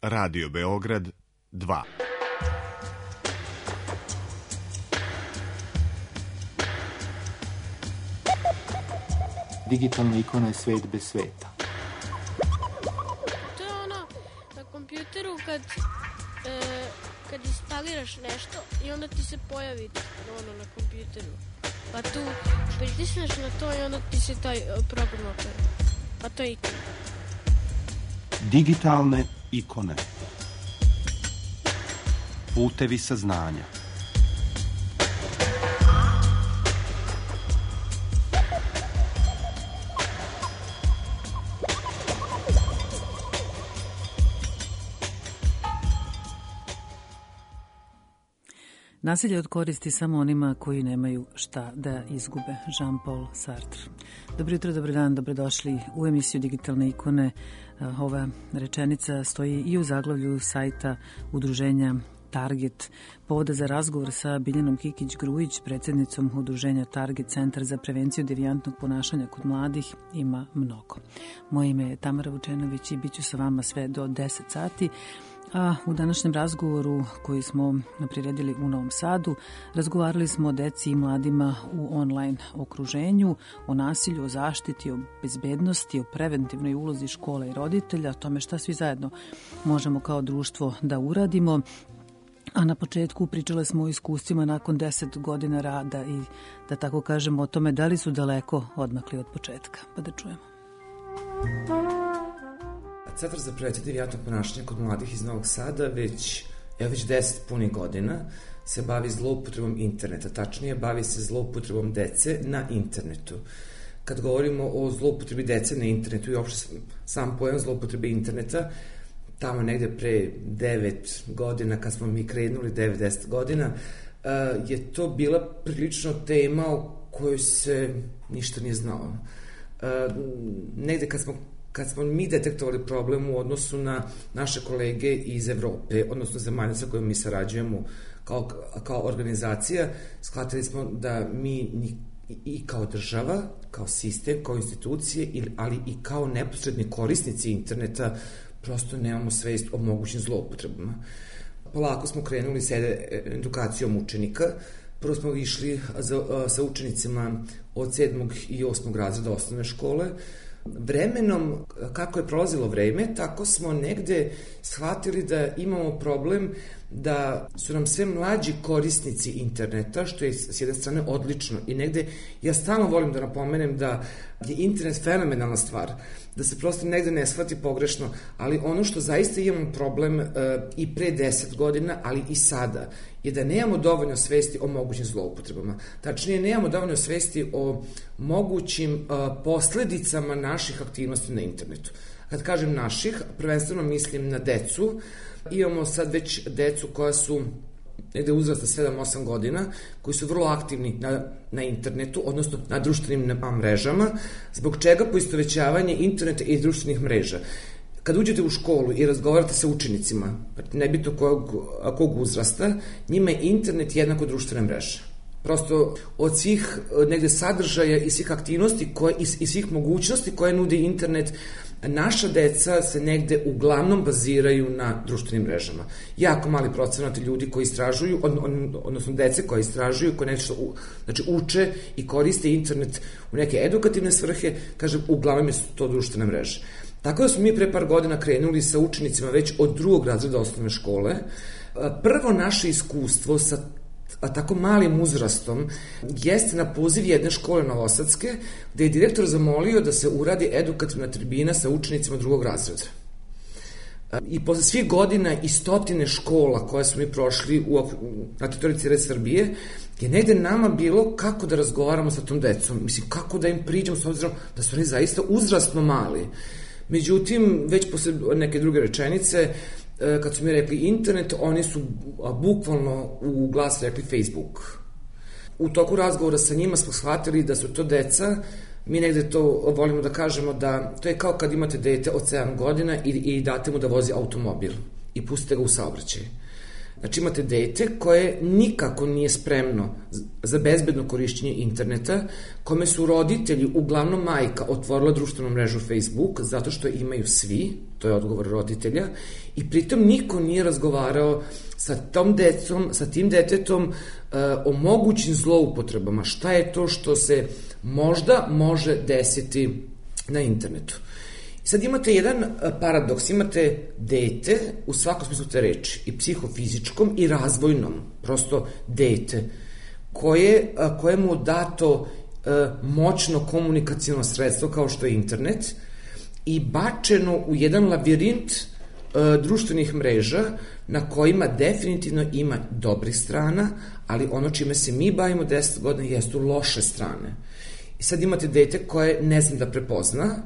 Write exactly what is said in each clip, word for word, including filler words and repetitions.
Radio Beograd dva. Digitalna ikona je svet bez sveta. To je ono na kompjuteru kad, e, kad instaliraš nešto i onda ti se pojavi ono na kompjuteru. Pa tu pritisneš na to i onda ti se taj program otvara. A to je ikona. Digitalne ikone. Putevi saznanja. Nasilje od koristi samo onima koji nemaju šta da izgube. Jean-Paul Sartre. Dobro jutro, dobar dan, dobrodošli u emisiju Digitalne ikone. Ova rečenica stoji i u zaglavlju sajta udruženja Target. Povoda za razgovor sa Biljanom Kikić-Grujić, predsjednicom udruženja Target, Centar za prevenciju devijantnog ponašanja kod mladih, ima mnogo. Moje ime je Tamara Vučenović i bit ću sa vama sve do deset sati. A u današnjem razgovoru koji smo priredili u Novom Sadu, razgovarali smo o deci i mladima u online okruženju, o nasilju, o zaštiti, o bezbednosti, o preventivnoj ulozi škola i roditelja, o tome šta svi zajedno možemo kao društvo da uradimo. A na početku pričali smo o iskustvima nakon deset godina rada i, da tako kažemo, o tome da li su daleko odmakli od početka. Pa da čujemo. Centar za prevenciju devijantnog ponašanja kod mladih iz Novog Sada već, evo već deset punih godina se bavi zloupotrebom interneta, tačnije bavi se zloupotrebom dece na internetu. Kad govorimo o zloupotrebi dece na internetu i uopšte sam pojam zloupotrebe interneta, tamo negde pre devet godina, kad smo mi krenuli, devet deset godina, je to bila prilično tema o kojoj se ništa nije znalo. Negde kad smo kad smo mi detektovali problem u odnosu na naše kolege iz Evrope, odnosno zemalja sa kojom mi sarađujemo kao, kao organizacija, shvatili smo da mi i kao država, kao sistem, kao institucije, ali i kao neposredni korisnici interneta prosto nemamo svest o mogućim zloupotrebama. Polako smo krenuli sa edukacijom učenika. Prvo smo išli za, sa učenicima od sedmog i osmog razreda osnovne škole. Vremenom, kako je prolazilo vreme, tako smo negde shvatili da imamo problem da su nam sve mlađi korisnici interneta, što je s jedne strane odlično. I negde, ja stalno volim da napomenem da je internet fenomenalna stvar, da se prosto negde ne shvati pogrešno, ali ono što zaista imamo problem e, i pre deset godina, ali i sada, je da nemamo dovoljno svesti o mogućim zloupotrebama. Tačnije, nemamo dovoljno svesti o mogućim e, posledicama naših aktivnosti na internetu. Kad kažem naših, prvenstveno mislim na decu. Imamo sad već decu koja su negde uzrasta sedam osam godina, koji su vrlo aktivni na, na internetu, odnosno na društvenim mrežama, zbog čega poistovećavanje interneta i društvenih mreža. Kad uđete u školu i razgovarate sa učenicima, nebitno kog, kog uzrasta, njima je internet jednako društvena mreža. Prosto od svih negde sadržaja i svih aktivnosti koje, i, i svih mogućnosti koje nudi internet, naša deca se negde uglavnom baziraju na društvenim mrežama. Jako mali procenat ljudi koji istražuju, od, od, odnosno dece koji istražuju, koji nešto u, znači uče i koriste internet u neke edukativne svrhe, kažem, uglavnom je to društvene mreže. Tako da smo mi pre par godina krenuli sa učenicima već od drugog razreda osnovne škole. Prvo naše iskustvo sa a tako malim uzrastom jeste na poziv jedne škole novosadske, gde je direktor zamolio da se uradi edukativna tribina sa učenicima drugog razreda. I posle svih godina i stotine škola koje smo mi prošli u, na teritoriji cijele Srbije, je negde nama bilo kako da razgovaramo sa tom decom, mislim, kako da im priđemo, s obzirom da su oni zaista uzrastno mali. Međutim, već posle neke druge rečenice, kad su mi rekli internet, oni su bukvalno u glas rekli Facebook. U toku razgovora sa njima smo shvatili da su to deca, mi negde to volimo da kažemo da to je kao kad imate dete od sedam godina i, i date mu da vozi automobil i pustite ga u saobraćaj. Znači imate dete koje nikako nije spremno za bezbedno korišćenje interneta, kome su roditelji, uglavnom majka, otvorila društvenu mrežu Facebook zato što imaju svi, to je odgovor roditelja, i pritom niko nije razgovarao sa tom decom, sa tim detetom uh, o mogućim zloupotrebama. Šta je to što se možda može desiti na internetu? Sad imate jedan paradoks, imate dete u svakom smislu te reči, i psihofizičkom i razvojnom, prosto dete, koje, kojemu dato moćno komunikacijno sredstvo kao što je internet i bačeno u jedan labirint društvenih mreža na kojima definitivno ima dobrih strana, ali ono čime se mi bavimo deset godina jesu loše strane. I sad imate dete koje ne zna da prepozna,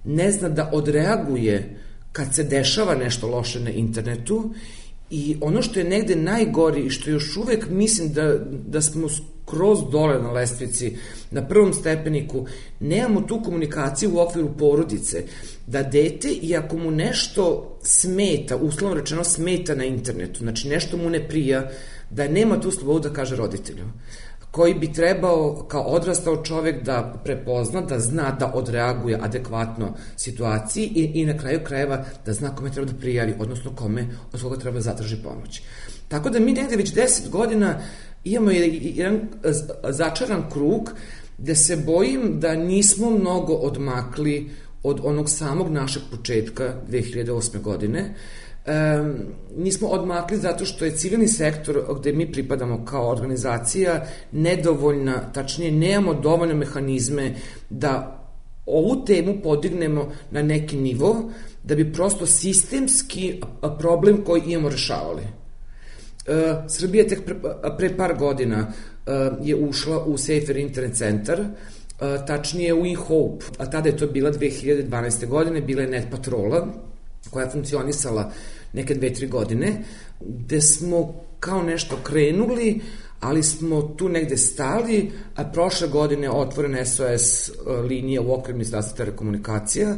ne zna da odreaguje kad se dešava nešto loše na internetu, i ono što je negde najgori i što još uvek mislim da, da smo skroz dole na lestvici, na prvom stepeniku, nemamo tu komunikaciju u okviru porodice, da dete, i ako mu nešto smeta, uslovno rečeno smeta na internetu, znači nešto mu ne prija, da nema tu slobodu da kaže roditelju, koji bi trebao kao odrastao čovek da prepozna, da zna da odreaguje adekvatno situaciji i, i na kraju krajeva da zna kome treba da prijavi, odnosno kome od koga treba da zatraži pomoć. Tako da mi negde već deset godina imamo jedan začaran krug gde se bojim da nismo mnogo odmakli od onog samog našeg početka dve hiljade osme godine. Um, nismo odmakli zato što je civilni sektor gde mi pripadamo kao organizacija nedovoljna, tačnije nemamo dovoljne mehanizme da ovu temu podignemo na neki nivo, da bi prosto sistemski problem koji imamo rešavali. Uh, Srbija tek pre, pre par godina uh, je ušla u Safer Internet Centar, uh, tačnije u eHope, a tada je to bila dve hiljade dvanaeste. godine, bila je Net Patrola, koja je funkcionisala neke dve, tri godine, gde smo kao nešto krenuli, ali smo tu negde stali, a prošle godine je otvorena S O S linija u okviru Ministarstva telekomunikacija,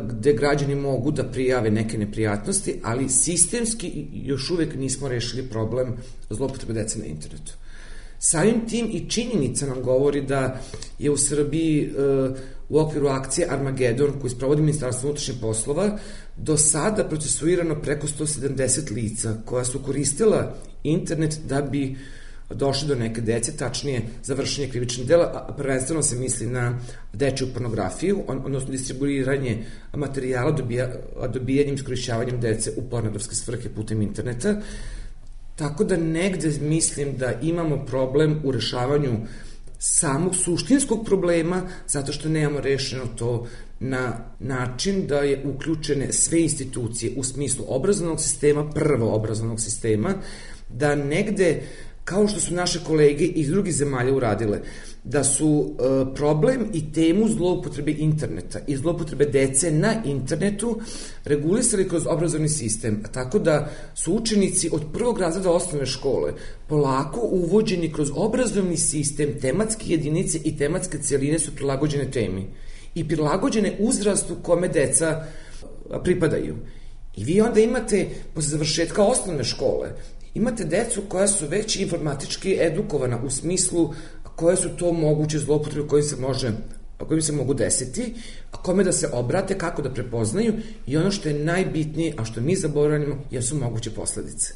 gde građani mogu da prijave neke neprijatnosti, ali sistemski još uvek nismo rešili problem zloupotrebe dece na internetu. Samim tim i činjenica nam govori da je u Srbiji u okviru akcije Armagedon, koju sprovodi Ministarstvo unutrašnjih poslova, do sada procesuirano preko sto sedamdeset lica koja su koristila internet da bi došli do neke dece, tačnije za vršenje krivičnih dela, a prvenstveno se misli na dečju pornografiju, odnosno distribuiranje materijala dobija, dobijanjem, iskorišćavanjem dece u pornografske svrhe putem interneta. Tako da negde mislim da imamo problem u rešavanju samog suštinskog problema, zato što nemamo rešeno to na način da je uključene sve institucije u smislu obrazovnog sistema, prvo obrazovnog sistema, da negde, kao što su naše kolege iz drugih zemalja uradile, da su e, problem i temu zloupotrebe interneta i zloupotrebe dece na internetu regulisali kroz obrazovni sistem, tako da su učenici od prvog razreda osnovne škole polako uvođeni kroz obrazovni sistem, tematske jedinice i tematske celine su prilagođene temi i prilagođene uzrastu kome deca pripadaju. I vi onda imate, posle završetka osnovne škole, imate decu koja su već informatički edukovana u smislu koje su to moguće zloupotrebe koje se može, koje se mogu desiti, a kome da se obrate, kako da prepoznaju, i ono što je najbitnije, a što mi zaboravljamo, jesu moguće posledice.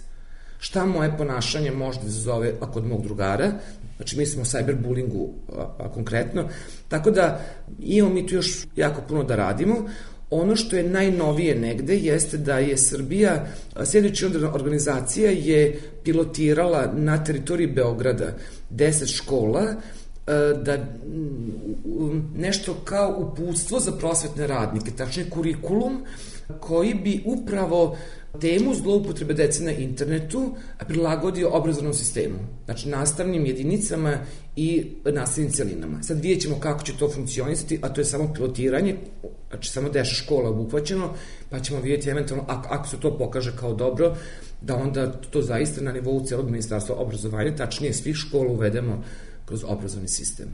Šta moje ponašanje može da izazove kod mog drugara, znači mi smo o cyberbullingu a, a, konkretno, tako da imamo mi tu još jako puno da radimo. Ono što je najnovije negde jeste da je Srbija, sljedeća organizacija je pilotirala na teritoriji Beograda deset škola, da nešto kao uputstvo za prosvetne radnike, tačnije kurikulum koji bi upravo temu zloupotrebe dece na internetu prilagodio obrazovnom sistemu, znači nastavnim jedinicama i nastavnim celinama. Sad vidjet ćemo kako će to funkcionisati, a to je samo pilotiranje, znači samo deset škola obuhvaćeno, pa ćemo vidjeti eventualno, ako, ako se to pokaže kao dobro, da onda to zaista na nivou celog ministarstva obrazovanja, tačnije svih škola uvedemo kroz obrazovni sistem.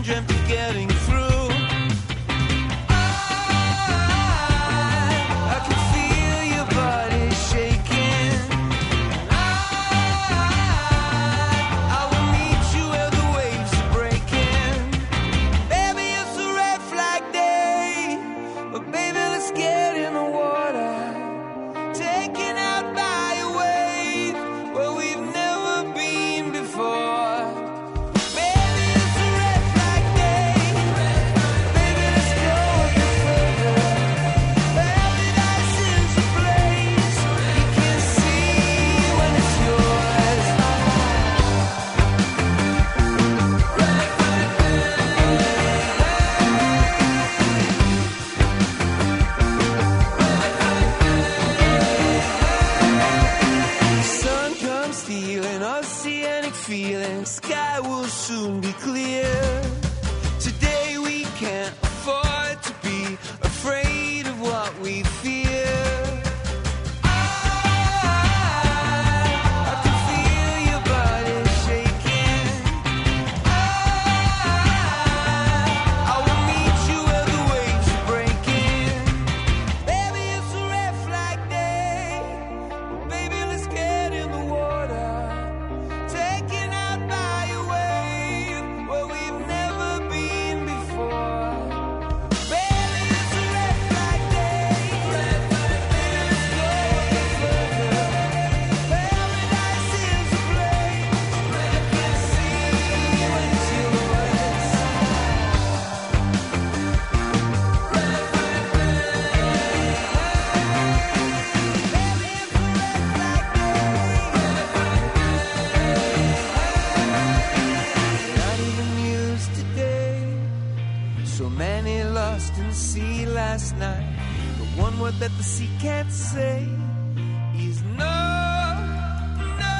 dreamt of getting through. That the sea can't say is no, no, no.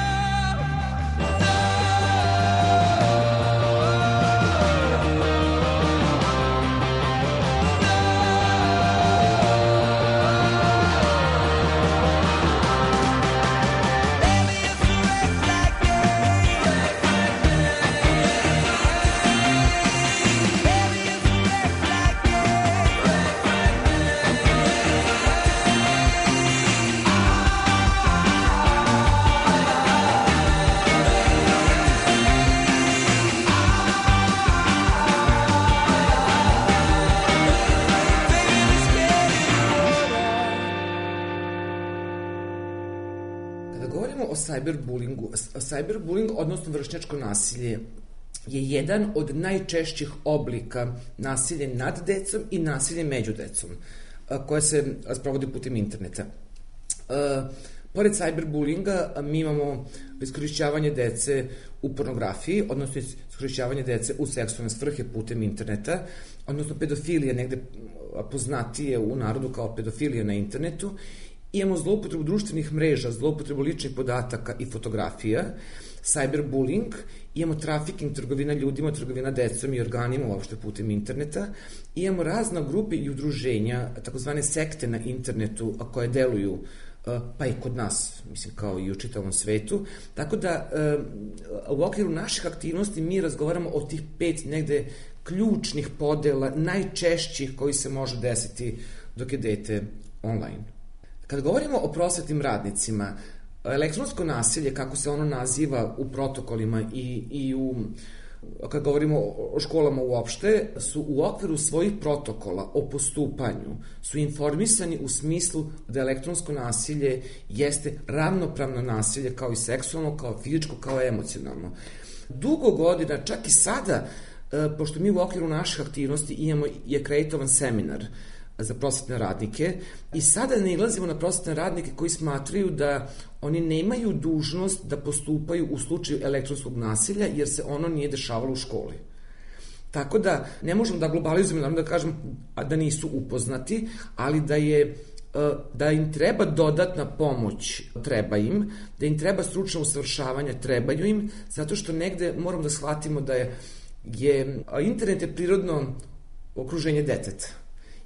Cyberbullyingu. Cyberbullying, odnosno vršnjačko nasilje, je jedan od najčešćih oblika nasilja nad decom i nasilje među decom, koje se sprovodi putem interneta. Pored cyberbullyinga, mi imamo iskorišćavanje dece u pornografiji, odnosno iskorišćavanje dece u seksualne svrhe putem interneta, odnosno pedofilija, negde poznatije u narodu kao pedofilija na internetu. Imamo zloupotrebu društvenih mreža, zloupotrebu ličnih podataka i fotografija, cyberbullying, imamo trafiking, trgovina ljudima, trgovina decom i organima uopšte putem interneta, imamo razna grupe i udruženja, takozvane sekte na internetu koje deluju, pa i kod nas, mislim kao i u čitavom svetu, tako da u okviru naših aktivnosti mi razgovaramo o tih pet negde ključnih podela, najčešćih koji se može desiti dok je dete online. Kad govorimo o prosvetnim radnicima, elektronsko nasilje, kako se ono naziva u protokolima i, i u, kad govorimo o školama uopšte, su u okviru svojih protokola o postupanju, su informisani u smislu da elektronsko nasilje jeste ravnopravno nasilje kao i seksualno, kao fizičko, kao emocionalno. Dugo godina, čak i sada, pošto mi u okviru naših aktivnosti imamo i akreditovan seminar za prosvetne radnike i sada nailazimo na prosvetne radnike koji smatraju da oni nemaju dužnost da postupaju u slučaju elektronskog nasilja jer se ono nije dešavalo u školi. Tako da ne možemo da globalizujemo, naravno da kažem da nisu upoznati, ali da je da im treba dodatna pomoć, treba im, da im treba stručno usavršavanje, trebaju im, zato što negde moramo da shvatimo da je, je internet je prirodno okruženje deteta.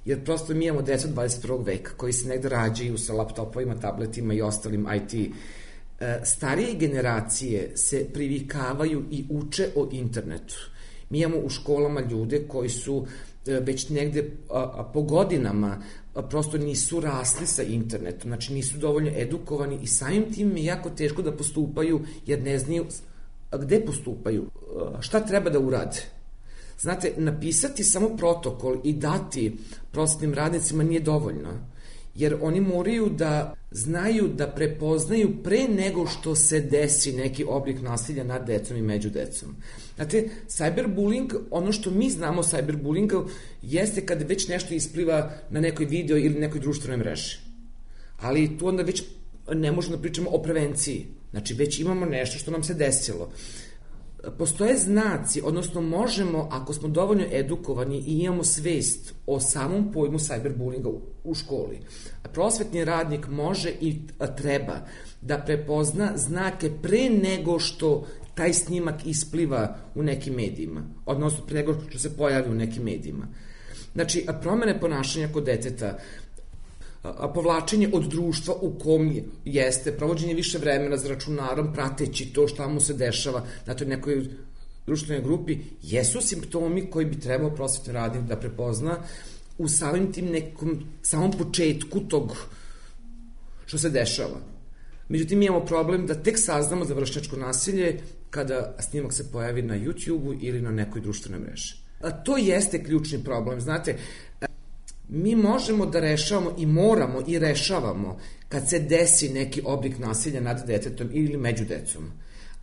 Jer prosto mi imamo decu dvadeset prvog veka koji se negde rađaju sa laptopovima, tabletima i ostalim I T. Starije generacije se privikavaju i uče o internetu. Mi imamo u školama ljude koji su već negde a, a, po godinama a, prosto nisu rasli sa internetom, znači nisu dovoljno edukovani i samim tim je jako teško da postupaju jer ne znaju gde postupaju, a, šta treba da urade. Znate, napisati samo protokol i dati prosvetnim radnicima nije dovoljno, jer oni moraju da znaju da prepoznaju pre nego što se desi neki oblik nasilja nad decom i među decom. Znate, cyberbullying, ono što mi znamo o cyberbullyingu jeste kada već nešto ispliva na nekoj video ili nekoj društvenoj mreži. Ali tu onda već ne možemo da pričamo o prevenciji. Znači, već imamo nešto što nam se desilo. Postoje znaci, odnosno možemo, ako smo dovoljno edukovani i imamo svest o samom pojmu cyberbullyinga u školi, prosvetni radnik može i treba da prepozna znake pre nego što taj snimak ispliva u nekim medijima, odnosno pre nego što se pojavi u nekim medijima. Znači, promene ponašanja kod deteta, a povlačenje od društva u kom jeste, provođenje više vremena za računarom, prateći to šta mu se dešava na toj nekoj društvenoj grupi, jesu simptomi koji bi trebao prosvetni radnik da prepozna u samim tim nekom, samom početku tog što se dešava. Međutim, mi imamo problem da tek saznamo za vršnjačko nasilje kada snimak se pojavi na YouTube-u ili na nekoj društvenoj mreži. A to jeste ključni problem, znate. Mi možemo da rešavamo i moramo i rešavamo kad se desi neki oblik nasilja nad detetom ili među decom,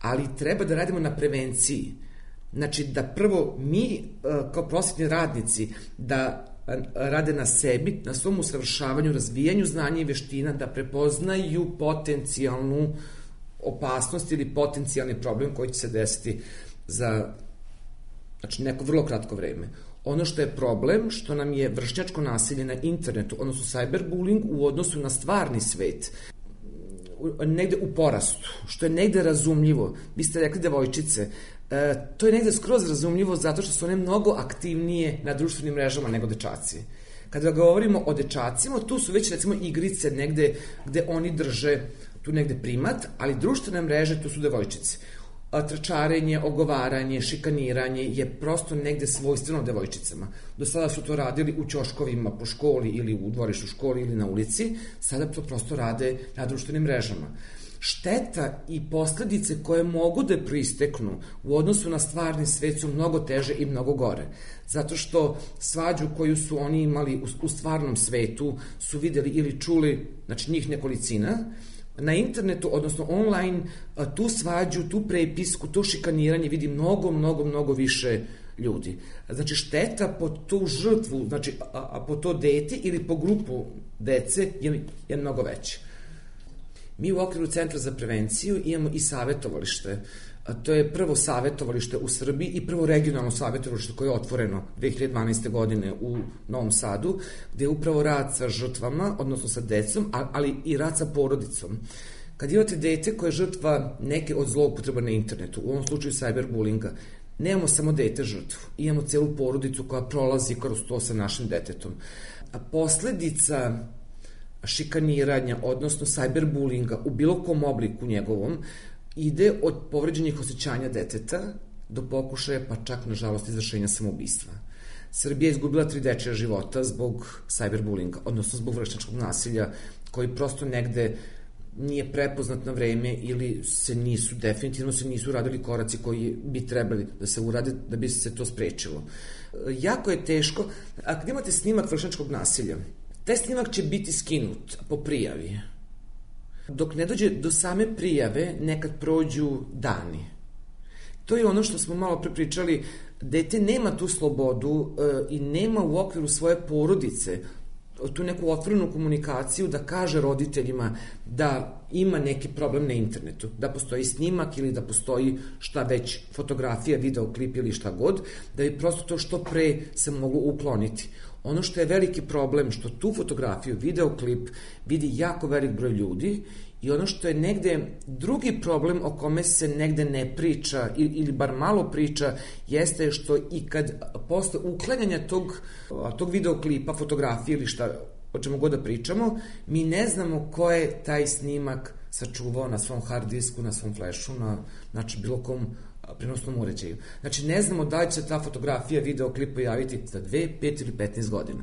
ali treba da radimo na prevenciji. Znači da prvo mi kao prosvetni radnici da rade na sebi, na svom usavršavanju, razvijanju znanja i veština, da prepoznaju potencijalnu opasnost ili potencijalni problem koji će se desiti za znači, neko vrlo kratko vreme. Ono što je problem, što nam je vršnjačko nasilje na internetu, odnosno cyberbullying u odnosu na stvarni svet, negde u porastu, što je negde razumljivo. Vi ste rekli devojčice, e, to je negde skroz razumljivo zato što su one mnogo aktivnije na društvenim mrežama nego dečaci. Kada govorimo o dečacima, tu su već recimo igrice negde gde oni drže tu negde primat, ali društvene mreže tu su devojčice. Trčarenje, ogovaranje, šikaniranje je prosto negde svojstveno devojčicama. Do sada su to radili u ćoškovima po školi ili u dvorištu školi ili na ulici, sada to prosto rade na društvenim mrežama. Šteta i posledice koje mogu da proisteknu u odnosu na stvarni svet su mnogo teže i mnogo gore. Zato što svađu koju su oni imali u, u stvarnom svetu su videli ili čuli, znači njih nekolicina, na internetu, odnosno online, tu svađu, tu prepisku, to šikaniranje vidi mnogo, mnogo, mnogo više ljudi. Znači, šteta po tu žrtvu, znači, a, a po to dete ili po grupu dece je, je mnogo veće. Mi u okviru Centra za prevenciju imamo i savetovalište. A to je prvo savetovalište u Srbiji i prvo regionalno savetovalište koje je otvoreno dve hiljade dvanaeste. godine u Novom Sadu, gde je upravo rad sa žrtvama, odnosno sa decom, ali i rad sa porodicom. Kad imate dete koje je žrtva neke od zloupotreba na internetu, u ovom slučaju cyberbullyinga, nemamo samo dete žrtvu, imamo celu porodicu koja prolazi kroz to sa našim detetom. A posledica šikaniranja, odnosno cyberbullyinga u bilo kom obliku njegovom, ide od povređenih osjećanja deteta do pokušaja, pa čak, nažalost, izvršenja samoubistva. Srbija je izgubila tri dečija života zbog cyberbullyinga, odnosno zbog vršnjačkog nasilja, koji prosto negde nije prepoznat na vreme ili se nisu, definitivno se nisu uradili koraci koji bi trebali da se urade da bi se to sprečilo. Jako je teško, a kad imate snimak vršnjačkog nasilja, taj snimak će biti skinut po prijavi. Dok ne dođe do same prijave, nekad prođu dani. To je ono što smo malo prepričali, dete nema tu slobodu e, i nema u okviru svoje porodice tu neku otvorenu komunikaciju da kaže roditeljima da ima neki problem na internetu, da postoji snimak ili da postoji šta već, fotografija, videoklip ili šta god, da bi prosto to što pre se moglo ukloniti. Ono što je veliki problem, što tu fotografiju, videoklip vidi jako velik broj ljudi i ono što je negde drugi problem o kome se negde ne priča ili bar malo priča jeste što i kad posle uklanjanja tog, tog videoklipa, fotografije ili šta, o čemu god da pričamo, mi ne znamo ko je taj snimak sačuvao na svom hard disku, na svom flešu, na znači bilo kom prenosnom uređaju. Znači, ne znamo da li će ta fotografija, video, klip pojaviti za dve, pet ili petnaest godina.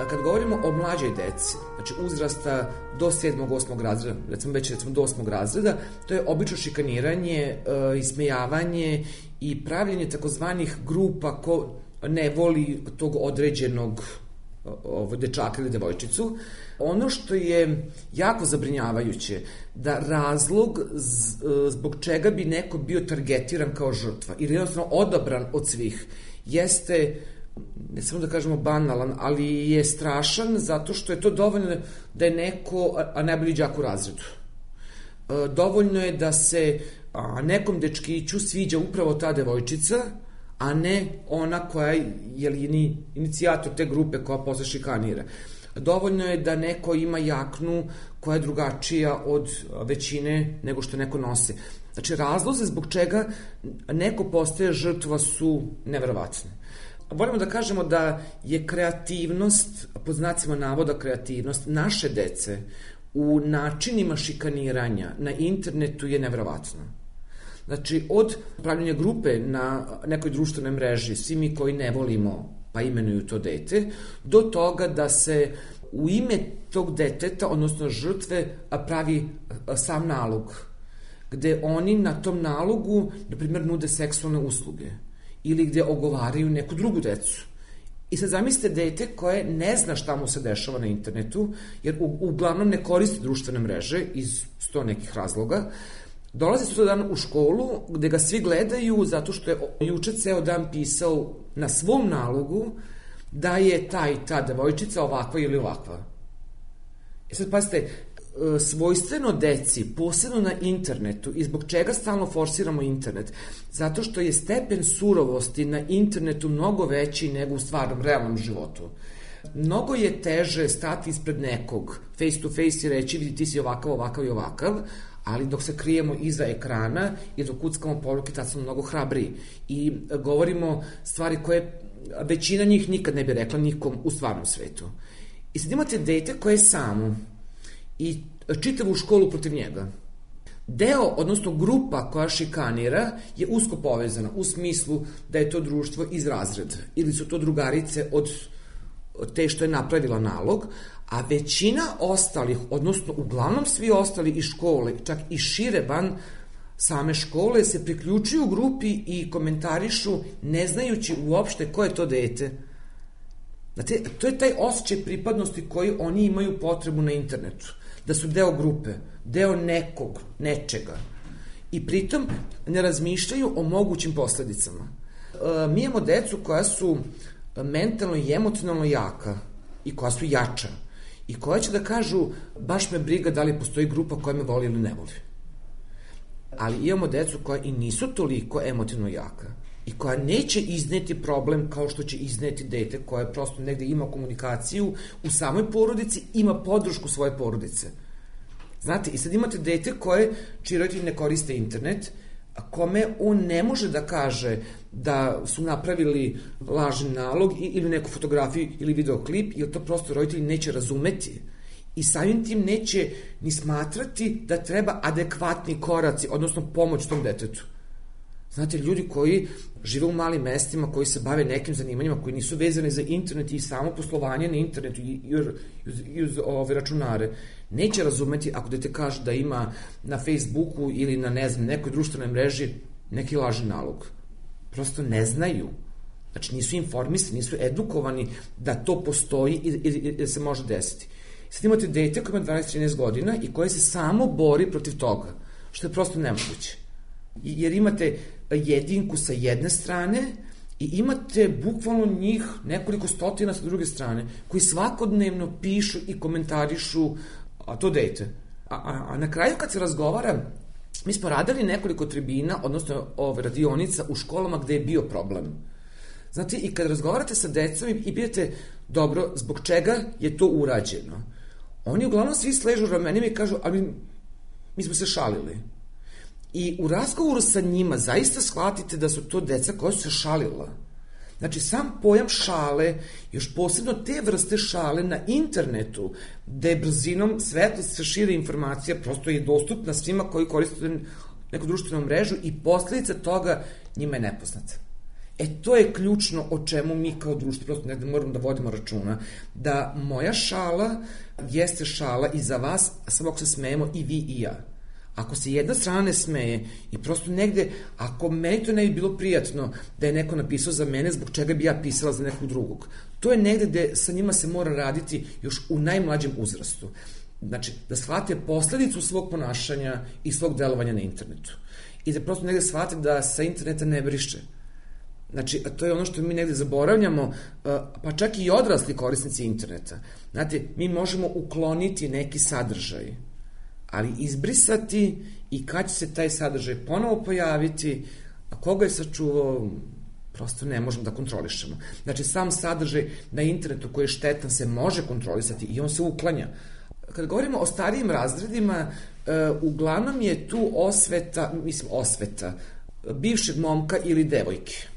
Kad govorimo o mlađoj deci, znači uzrasta do sedmog, osmog razreda, recimo već recimo do osmog razreda, to je obično šikaniranje, e, ismejavanje i pravljenje takozvanih grupa ko ne voli tog određenog ovo, dečaka ili devojčicu. Ono što je jako zabrinjavajuće, da razlog z, zbog čega bi neko bio targetiran kao žrtva ili jednostavno odabran od svih, jeste, ne samo da kažemo banalan, ali je strašan zato što je to dovoljno da je neko, a najbolji đak u razredu. Dovoljno je da se nekom dečkiću sviđa upravo ta devojčica, a ne ona koja je inicijator te grupe koja posle šikanira. Dovoljno je da neko ima jaknu koja je drugačija od većine nego što neko nosi. Znači, razloze zbog čega neko postaje žrtva su neverovatne. Volimo da kažemo da je kreativnost, pod znacima navoda kreativnost, naše dece u načinima šikaniranja na internetu je neverovatna. Znači, od pravljenja grupe na nekoj društvenoj mreži, svi mi koji ne volimo, pa imenuju to dete, do toga da se u ime tog deteta, odnosno žrtve, pravi sam nalog, gde oni na tom nalogu, na primjer, nude seksualne usluge ili gde ogovaraju neku drugu decu. I sad zamislite dete koje ne zna šta mu se dešava na internetu, jer u, uglavnom ne koristi društvene mreže iz sto nekih razloga, dolazi sutra dan u školu gde ga svi gledaju zato što je juče ceo dan pisao na svom nalogu da je ta i ta devojčica ovakva ili ovakva. I sad pazite, svojstveno deci, posebno na internetu, i zbog čega stalno forsiramo internet? Zato što je stepen surovosti na internetu mnogo veći nego u stvarnom, realnom životu. Mnogo je teže stati ispred nekog, face to face i reći, vidi, ti si ovakav, ovakav i ovakav, ali dok se krijemo iza ekrana i dok kuckamo poruke, tad smo mnogo hrabriji. I govorimo stvari koje većina njih nikad ne bi rekla nikom u stvarnom svetu. I sad imate dete koje je samo i čitavu školu protiv njega. Deo, odnosno grupa koja šikanira je usko povezana u smislu da je to društvo iz razreda ili su to drugarice od te što je napravila nalog, a većina ostalih, odnosno uglavnom svi ostali iz škole, čak i šire van same škole, se priključuju grupi i komentarišu ne znajući uopšte ko je to dete. Znate, to je taj osjećaj pripadnosti koji oni imaju potrebu na internetu. Da su deo grupe, deo nekog, nečega. I pritom ne razmišljaju o mogućim posledicama. E, mi imamo decu koja su mentalno i emocionalno jaka i koja su jača i koja će da kažu baš me briga da li postoji grupa koja me voli ili ne voli. Ali imamo decu koja i nisu toliko emotivno jaka i koja neće izneti problem kao što će izneti dete koje prosto negde ima komunikaciju u samoj porodici, ima podršku svoje porodice. Znate, i sad imate dete koje, čiji roditelji ne koriste internet, a kome on ne može da kaže da su napravili lažni nalog ili neku fotografiju ili videoklip, jer to prosto roditelji neće razumeti. I samim tim neće ni smatrati da treba adekvatni koraci, odnosno pomoć tom detetu. Znate, ljudi koji žive u malim mestima, koji se bave nekim zanimanjima, koji nisu vezani za internet i samo poslovanje na internetu i, i, i uz ove računare, neće razumeti ako dete kaže da ima na Facebooku ili na, ne znam, nekoj društvenoj mreži neki lažni nalog. Prosto ne znaju. Znači, nisu informisani, nisu edukovani da to postoji i, i, i da se može desiti. Sad imate dete koje ima dvanaest trinaest godina i koje se samo bori protiv toga. što je prosto nemoguće. Jer imate jedinku sa jedne strane i imate bukvalno njih nekoliko stotina sa druge strane, koji svakodnevno pišu i komentarišu a to dete. A, a, a na kraju kad se razgovara, mi smo radili nekoliko tribina, odnosno ove radionica u školama gde je bio problem. Znate, i kad razgovarate sa decom i pitate, dobro, zbog čega je to urađeno? Oni uglavnom svi sležu ramenima i kažu, ali mi smo se šalili. I u razgovoru sa njima zaista shvatite da su to deca koja su se šalila. Znači, sam pojam šale, još posebno te vrste šale na internetu, gde brzinom svetla se šire informacija, prosto je dostupna svima koji koriste neku društvenu mrežu i posledica toga njima je nepoznata. E, to je ključno o čemu mi kao društvo prosto negde moramo da vodimo računa, da moja šala jeste šala i za vas, samo ako se smejemo i vi i ja. Ako se jedna strana ne smeje i prosto negde, ako meni to ne bi bilo prijatno da je neko napisao za mene, zbog čega bi ja pisala za nekog drugog. To je negde gde sa njima se mora raditi još u najmlađem uzrastu. Znači, da shvate posledicu svog ponašanja i svog delovanja na internetu. I da prosto negde shvate da sa interneta ne briše. Znači, to je ono što mi negde zaboravljamo, pa čak i odrasli korisnici interneta. Znate, mi možemo ukloniti neki sadržaj, ali izbrisati i kad će se taj sadržaj ponovo pojaviti, a koga je sačuvao, prosto ne možemo da kontrolišemo. Znači, sam sadržaj na internetu koji je štetan se može kontrolisati i on se uklanja. Kad govorimo o starijim razredima, uglavnom je tu osveta, mislim osveta, bivšeg momka ili devojke.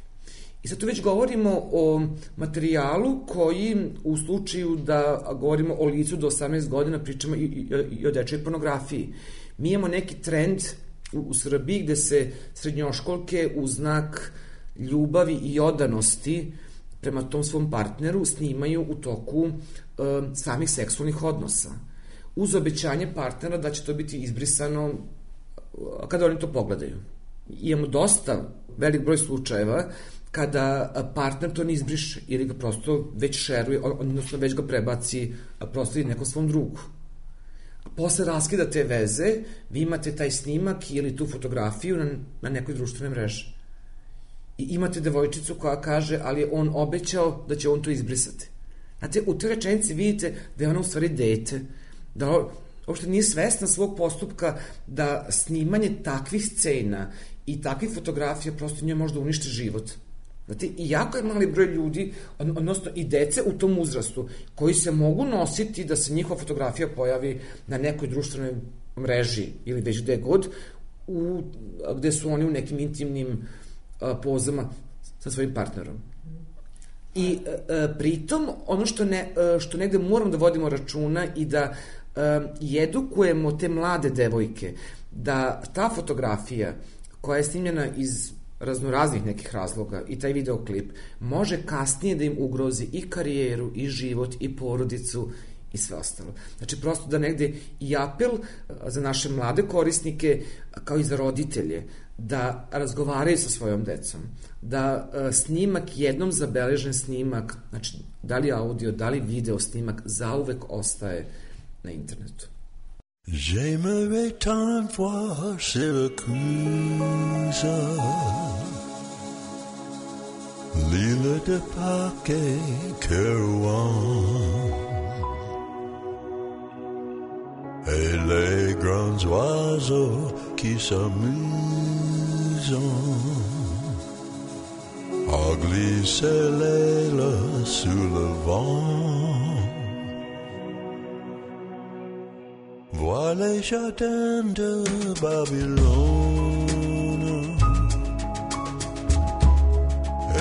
I sad tu već govorimo o materijalu koji u slučaju da govorimo o licu do osamnaest godina pričamo i, i, i o dečoj pornografiji. Mi imamo neki trend u, u Srbiji gde se srednjoškolke u znak ljubavi i odanosti prema tom svom partneru snimaju u toku e, samih seksualnih odnosa. Uz obećanje partnera da će to biti izbrisano kada oni to pogledaju. Imamo dosta velik broj slučajeva kada partner to ne izbriše ili ga prosto već šeruje, odnosno već ga prebaci prosto i nekom svom drugu. Posle raskida te veze, vi imate taj snimak ili tu fotografiju na, na nekoj društvenoj mreži. I imate devojčicu koja kaže, ali je on obećao da će on to izbrisati. Znate, u toj rečenici vidite da je ona u stvari dete, da uopšte nije svesna svog postupka, da snimanje takvih scena i takvih fotografija prosto njoj možda uništi život. Znate, i jako je mali broj ljudi, odnosno i dece u tom uzrastu, koji se mogu nositi da se njihova fotografija pojavi na nekoj društvenoj mreži ili već gde god, u, gde su oni u nekim intimnim a, pozama sa svojim partnerom. I a, pritom, ono što, ne, a, što negde moramo da vodimo računa i da a, edukujemo te mlade devojke, da ta fotografija koja je snimljena iz raznoraznih nekih razloga i taj videoklip može kasnije da im ugrozi i karijeru, i život, i porodicu, i sve ostalo. Znači, prosto da negde i apel za naše mlade korisnike, kao i za roditelje, da razgovaraju sa svojom decom, da snimak, jednom zabeležen snimak, znači, da li audio, da li video snimak, zauvek ostaje na internetu. J'aimerais tant voir Syracuse, l'île de Pâques et Kerouan, et les grands oiseaux qui s'amusent à glisser l'aile sous le vent. Vois les jardins de Babylone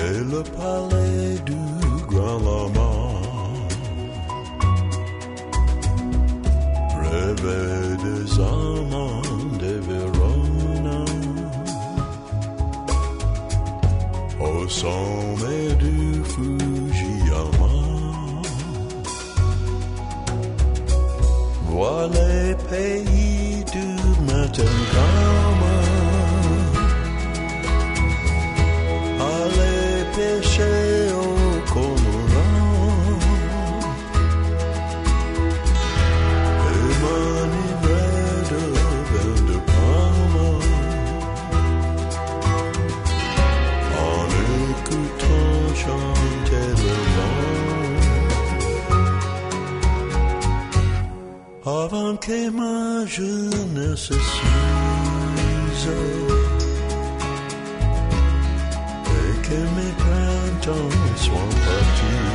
et le palais du grand lama. Rêver des amants de Verona au sommet du Fujiyama. Vois les pays du matin calme, allez pêcher au cormorant et m'enivrer de vin de Parme que ma jeunesse s'use et que mes printemps soient partis.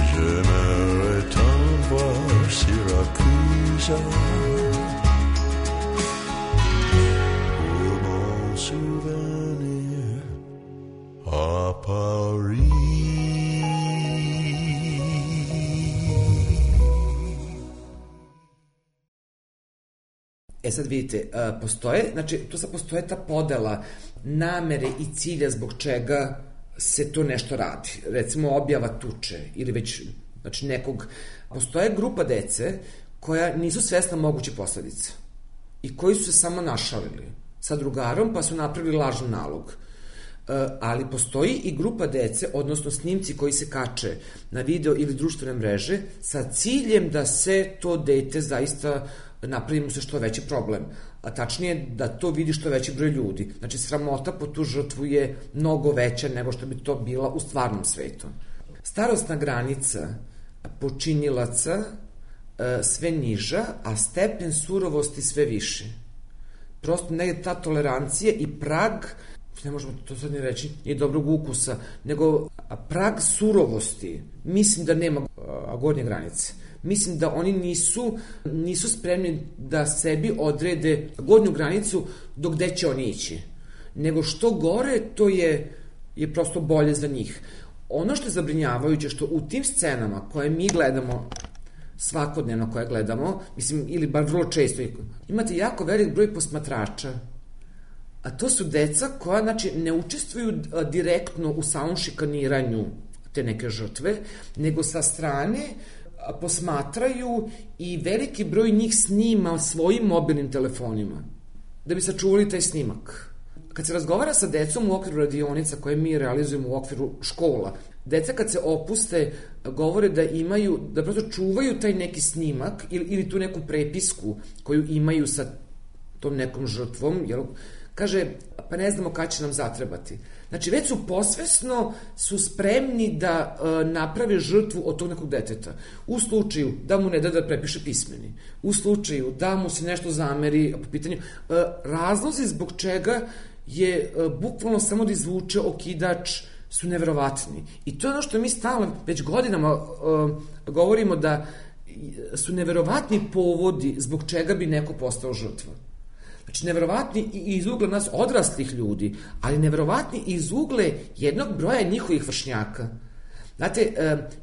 J'aimerais tant voir Syracuse pour mon souvenir à Paris. E sad vidite, postoje, znači tu sad postoje ta podela namere i cilja zbog čega se to nešto radi. Recimo objava tuče ili već, znači nekog, postoje grupa dece koja nisu svesna moguće posledice i koji su se samo našalili sa drugarom pa su napravili lažan nalog. Ali postoji i grupa dece, odnosno snimci koji se kače na video ili društvene mreže sa ciljem da se to dete zaista napravi mu se što veći problem, a tačnije da to vidi što veći broj ljudi. Znači, sramota po tu žrtvu je mnogo veća nego što bi to bila u stvarnom svetu. Starosna granica počinilaca sve niža, a stepen surovosti sve više. Prosto negde ta tolerancija i prag, ne možemo to sad ni reći, nije dobrog ukusa, nego prag surovosti, mislim da nema gornje granice. Mislim da oni nisu, nisu spremni da sebi odrede gornju granicu do gde će oni ići. Nego što gore, to je, je prosto bolje za njih. Ono što je zabrinjavajuće, što u tim scenama koje mi gledamo, svakodnevno koje gledamo, mislim, ili bar vrlo često, imate jako velik broj posmatrača. A to su deca koja, znači, ne učestvuju direktno u samom šikaniranju te neke žrtve, nego sa strane posmatraju i veliki broj njih snima svojim mobilnim telefonima da bi sačuvali taj snimak. Kad se razgovara sa decom u okviru radionica koje mi realizujemo u okviru škola, deca kad se opuste govore da imaju, da prosto čuvaju taj neki snimak ili, ili tu neku prepisku koju imaju sa tom nekom žrtvom, jel? Kaže, pa ne znamo kada će nam zatrebati. Znači, već su posvesno su spremni da e, naprave žrtvu od tog nekog deteta. U slučaju da mu ne da da prepiše pismeni. U slučaju da mu se nešto zameri po pitanju. E, razlozi zbog čega je e, bukvalno samo da izvuče okidač su neverovatni. I to je ono što mi stalno već godinama e, govorimo da su neverovatni povodi zbog čega bi neko postao žrtva. Znači, neverovatni i iz ugla nas odraslih ljudi, ali neverovatni i iz ugle jednog broja njihovih vršnjaka. Znate,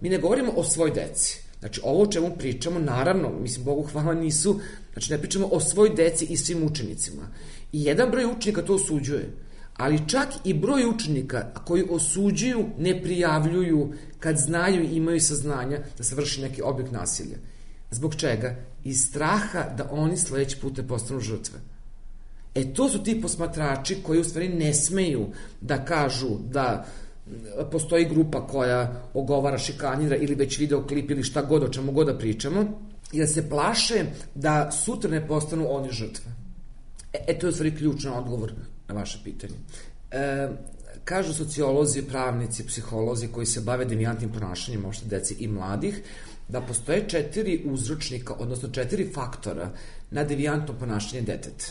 mi ne govorimo o svoj deci. Znači, ovo o čemu pričamo, naravno, mislim, Bogu hvala, nisu, znači, ne pričamo o svoj deci i svim učenicima. I jedan broj učenika to osuđuje, ali čak i broj učenika koji osuđuju, ne prijavljuju kad znaju i imaju saznanja da se vrši neki oblik nasilja. Zbog čega? Iz straha da oni sledeći put postanu žrtve. E, to su ti posmatrači koji u stvari ne smeju da kažu da postoji grupa koja ogovara, šikanira ili već videoklip ili šta god, o čemu god da pričamo, i da se plaše da sutra ne postanu oni žrtve. E, e to je u stvari ključan odgovor na vaše pitanje. E, kažu sociolozi, pravnici, psiholozi koji se bave devijantnim ponašanjem možda deci i mladih, da postoje četiri uzročnika, odnosno četiri faktora na devijantno ponašanje deteta.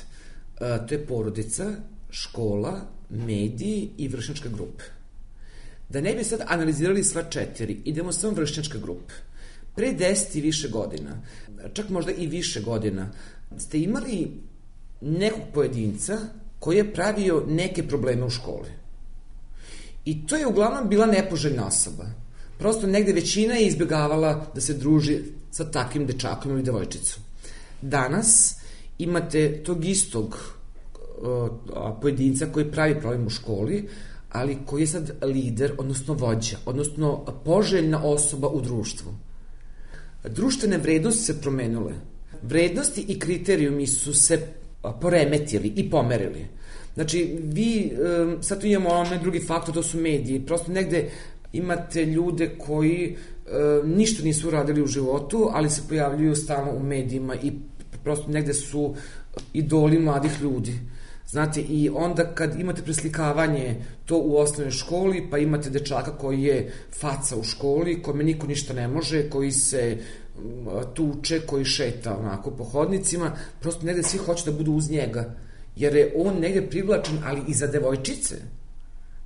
E, to je porodica, škola, mediji i vršnjačke grupe. Da ne bi sad analizirali sva četiri, idemo samo vršnjačke grupe. Pre deset i više godina, čak možda i više godina, ste imali nekog pojedinca koji je pravio neke probleme u školi. I to je uglavnom bila nepoželjna osoba. Prosto negde većina je izbjegavala da se druži sa takvim dečakom ili devojčicom. Danas imate tog istog uh, pojedinca koji pravi problem u školi, ali koji je sad lider, odnosno vođa, odnosno poželjna osoba u društvu. Društvene vrednosti se promenule. Vrednosti i kriterijumi su se poremetili i pomerili. Znači, vi, um, sad tu imamo onaj drugi faktor, to su mediji. Prosto negde imate ljude koji um, ništa nisu radili u životu, ali se pojavljuju stalno u medijima i prosto negde su idoli mladih ljudi. Znate, i onda kad imate preslikavanje to u osnovnoj školi, pa imate dečaka koji je faca u školi, kome niko ništa ne može, koji se tuče, koji šeta onako po hodnicima, prosto negde svi hoće da budu uz njega, jer je on negde privlačen, ali i za devojčice.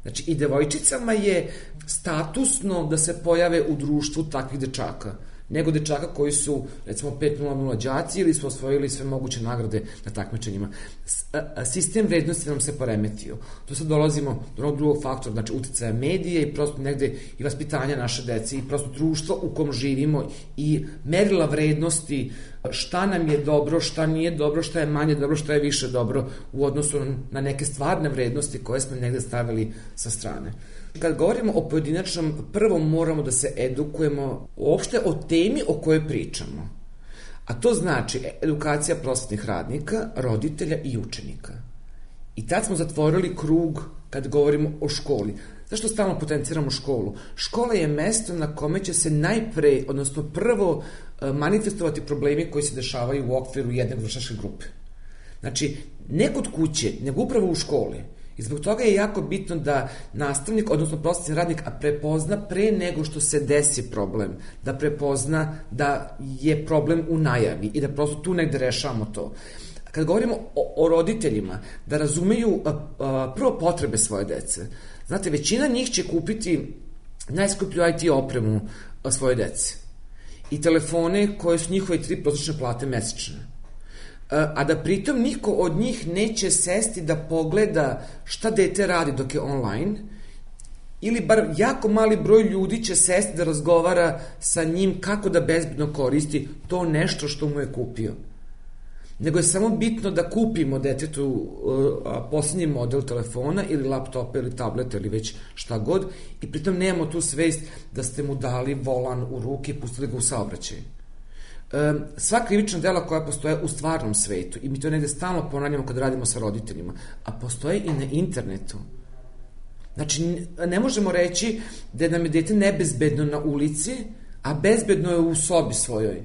Znači, i devojčicama je statusno da se pojave u društvu takvih dečaka, nego dečaka koji su, recimo, pet nula nula đaci ili su osvojili sve moguće nagrade na takmičenjima. Sistem vrednosti nam se poremetio. Tu sad dolazimo do onog drugog faktora, znači uticaja medije i prosto negde i vaspitanja naše dece i prosto društvo u kom živimo i merila vrednosti šta nam je dobro, šta nije dobro, šta je manje dobro, šta je više dobro u odnosu na neke stvarne vrednosti koje smo negde stavili sa strane. Kad govorimo o pojedinačnom, prvo moramo da se edukujemo uopšte o temi o kojoj pričamo. A to znači edukacija prosvetnih radnika, roditelja i učenika. I tad smo zatvorili krug kad govorimo o školi. Zašto stalno potenciramo školu? Škola je mesto na kome će se najpre, odnosno prvo, manifestovati problemi koji se dešavaju u okviru jedne vršnjačke grupe. Znači, ne kod kuće, nego upravo u školi. I zbog toga je jako bitno da nastavnik, odnosno prosvetni radnik, prepozna pre nego što se desi problem, da prepozna da je problem u najavi i da prosto tu negde rešavamo to. Kad govorimo o, o roditeljima, da razumeju a, a, prvo potrebe svoje dece. Znate, većina njih će kupiti najskuplju I T opremu svoje dece i telefone koje su njihove tri prosječne plate mesečne. A da pritom niko od njih neće sesti da pogleda šta dete radi dok je online, ili bar jako mali broj ljudi će sesti da razgovara sa njim kako da bezbedno koristi to nešto što mu je kupio. Nego je samo bitno da kupimo detetu uh, poslednji model telefona ili laptopa ili tableta ili već šta god i pritom nemamo tu svest da ste mu dali volan u ruke i pustili ga u saobraćaj. Um, sva krivična dela koja postoje u stvarnom svetu, i mi to negde stalno ponavljamo kad radimo sa roditeljima, a postoje i na internetu. Znači, ne možemo reći da nam je dete nebezbedno na ulici, a bezbedno je u sobi svojoj.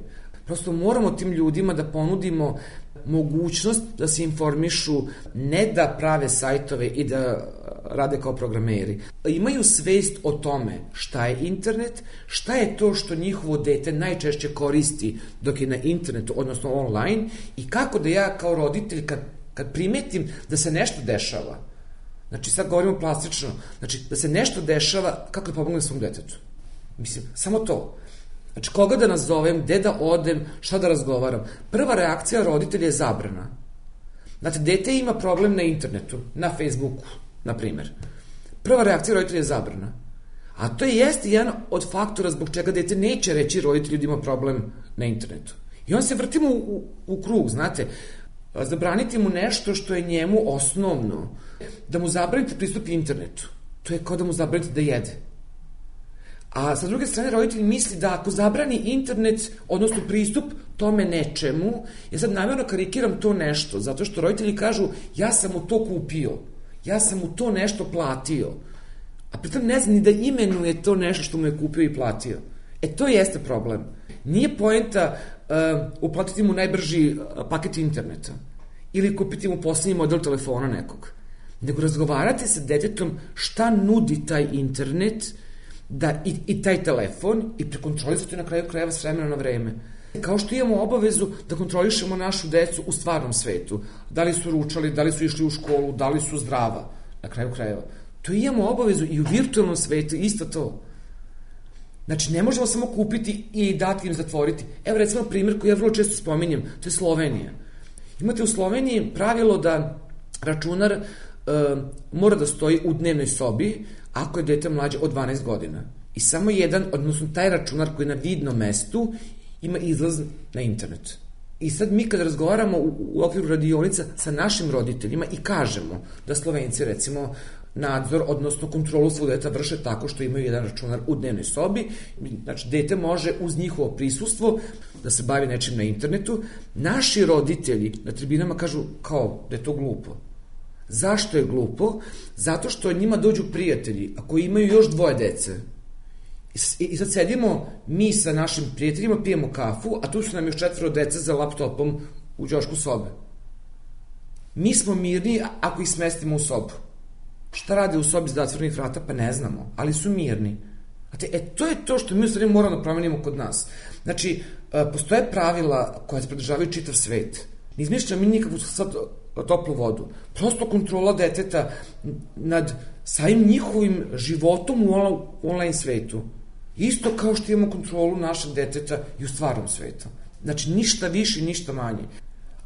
Prosto moramo tim ljudima da ponudimo mogućnost da se informišu, ne da prave sajtove i da rade kao programeri. Imaju svest o tome šta je internet, šta je to što njihovo dete najčešće koristi dok je na internetu, odnosno online, i kako da ja kao roditelj kad, kad primetim da se nešto dešava, znači sad govorimo plastično, znači da se nešto dešava, kako da pomognem svom detetu. Mislim, samo to. Znači, koga da nazovem, gde da odem, šta da razgovaram. Prva reakcija roditelja je zabrana. Znači, dete ima problem na internetu, na Facebooku, na primer. Prva reakcija roditelja je zabrana. A to je jeste jedan od faktora zbog čega dete neće reći roditelju da ima problem na internetu. I on se vrtimo u, u, u krug, znate. Zabraniti mu nešto što je njemu osnovno. Da mu zabranite pristup internetu. To je kao da mu zabranite da jede. A sa druge strane, roditelj misli da ako zabrani internet, odnosno pristup tome nečemu, ja sad namjerno karikiram to nešto, zato što roditelji kažu ja sam mu to kupio, ja sam mu to nešto platio, a pritom ne znam ni da imenuje to nešto što mu je kupio i platio. E, to jeste problem. Nije poenta uh, uplatiti mu najbrži paket interneta ili kupiti mu poslednji model telefona nekog, nego razgovarati sa detetom šta nudi taj internet, da i, i taj telefon i prekontrolisati na kraju krajeva s vremena na vreme. Kao što imamo obavezu da kontrolišemo našu decu u stvarnom svetu. Da li su ručali, da li su išli u školu, da li su zdrava, na kraju krajeva. To imamo obavezu i u virtualnom svetu, isto to. Znači, ne možemo samo kupiti i dati im zatvoriti. Evo, recimo, primjer koji ja vrlo često spominjem, to je Slovenija. Imate u Sloveniji pravilo da računar uh, mora da stoji u dnevnoj sobi ako je dete mlađe od dvanaest godina. I samo jedan, odnosno taj računar koji je na vidnom mestu, ima izlaz na internet. I sad mi kad razgovaramo u, u okviru radionica sa našim roditeljima i kažemo da Slovenci, recimo, nadzor, odnosno kontrolu svog deta vrše tako što imaju jedan računar u dnevnoj sobi, znači dete može uz njihovo prisustvo da se bavi nečim na internetu, naši roditelji na tribinama kažu kao da je to glupo. Zašto je glupo? Zato što njima dođu prijatelji, a koji imaju još dvoje dece. I, i sad sedimo mi sa našim prijateljima, pijemo kafu, a tu su nam još četvoro dece za laptopom u ćošku sobe. Mi smo mirni ako ih smestimo u sobu. Šta rade u sobi s zatvorenih vrata? Pa ne znamo, ali su mirni. Znate, e, to je to što mi u stvari moramo da promenimo kod nas. Znači, postoje pravila koja se pridržavaju čitav svet. Ne izmišljamo mi nikakvu sad toplu vodu. Prosto kontrola deteta nad samim njihovim životom u online svetu. Isto kao što imamo kontrolu našeg deteta i u stvarnom svetu. Znači, ništa više, ništa manje.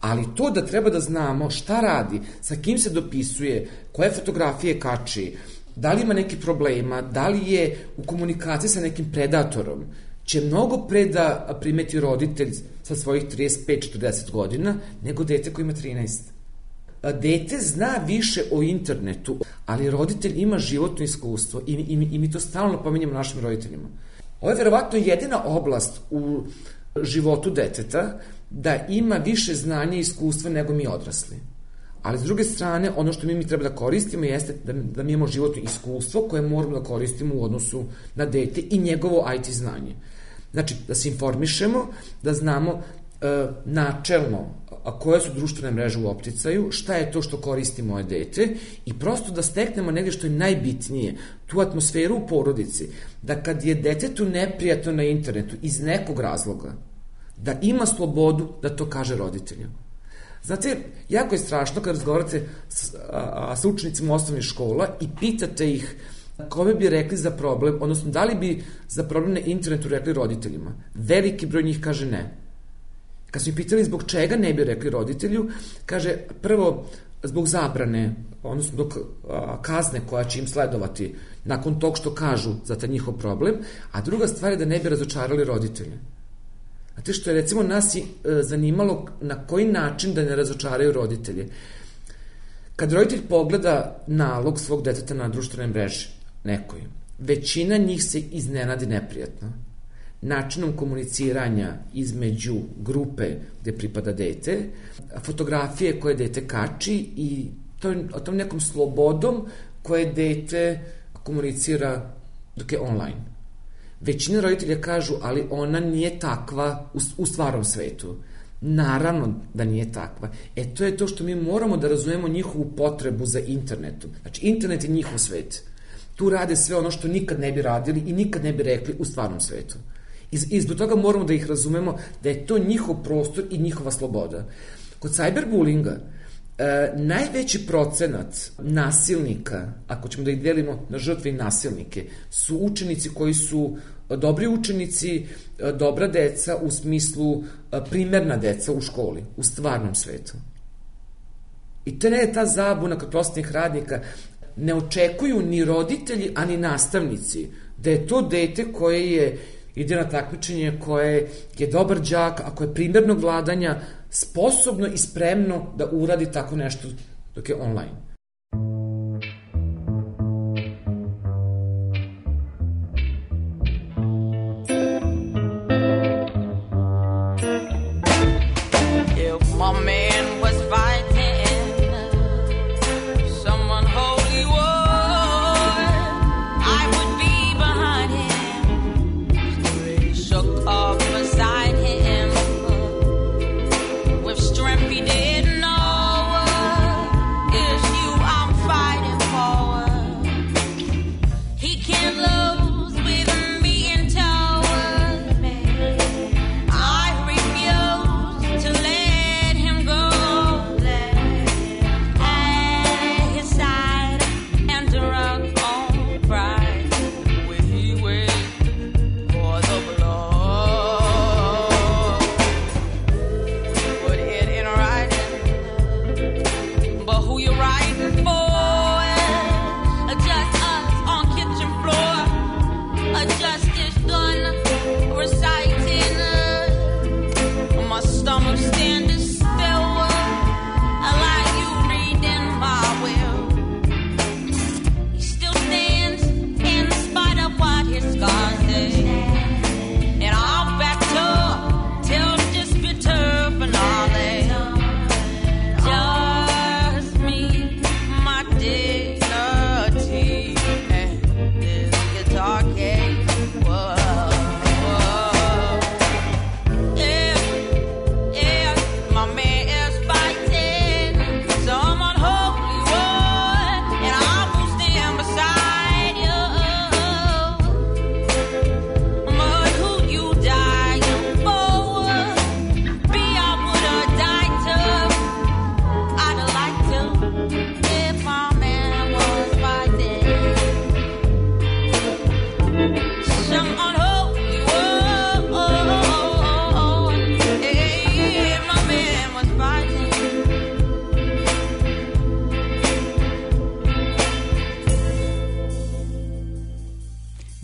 Ali to da treba da znamo šta radi, sa kim se dopisuje, koje fotografije kači, da li ima neki problema, da li je u komunikaciji sa nekim predatorom, će mnogo pre da primeti roditelj sa svojih trideset pet četrdeset godina nego dete koji ima trinaest. Dete zna više o internetu, ali roditelj ima životno iskustvo i, i, i mi to stalno pominjamo našim roditeljima. Ovo je verovatno jedina oblast u životu deteta da ima više znanja i iskustva nego mi odrasli. Ali s druge strane, ono što mi, mi treba da koristimo jeste da, da mi imamo životno iskustvo koje moramo da koristimo u odnosu na dete i njegovo I T znanje. Znači, da se informišemo, da znamo e, načelno a koje su društvene mreže u opticaju, šta je to što koristi moje dete i prosto da steknemo negde što je najbitnije, tu atmosferu u porodici, da kad je detetu neprijatno na internetu iz nekog razloga, da ima slobodu da to kaže roditelju. Znate, jako je strašno kad razgovarate s, a, sa učenicima osnovnih škola i pitate ih kome bi rekli za problem, odnosno da li bi za problem na internetu rekli roditeljima. Veliki broj njih kaže ne. Kad su ih pitali zbog čega ne bi rekli roditelju, kaže prvo zbog zabrane, odnosno dok a, kazne koja će im sledovati nakon tog što kažu za taj njihov problem, a druga stvar je da ne bi razočarali roditelje. Znate što je recimo nas i e, zanimalo na koji način da ne razočaraju roditelje. Kad roditelj pogleda nalog svog deteta na društvenoj mreži, nekoj, većina njih se iznenadi neprijatno. Načinom komuniciranja između grupe gde pripada dete, fotografije koje dete kači i tom, tom nekom slobodom koje dete komunicira dok je online. Većina roditelja kažu, ali ona nije takva u, u stvarnom svetu. Naravno da nije takva. E to je to što mi moramo da razumemo njihovu potrebu za internetom. Znači, internet je njihov svet. Tu rade sve ono što nikad ne bi radili i nikad ne bi rekli u stvarnom svetu. I, i zbog toga moramo da ih razumemo da je to njihov prostor i njihova sloboda. Kod cyberbullinga e, najveći procenat nasilnika, ako ćemo da ih delimo na žrtve i nasilnike, su učenici koji su dobri učenici, dobra deca u smislu primerna deca u školi, u stvarnom svetu. I to ne je ta zabuna kod prosvetnih radnika. Ne očekuju ni roditelji, ani nastavnici da je to dete koje je ide na takmičenje, koje je dobar đak, a koje je primernog vladanja, sposobno i spremno da uradi tako nešto dok je online. Strength he didn't know. Yes, you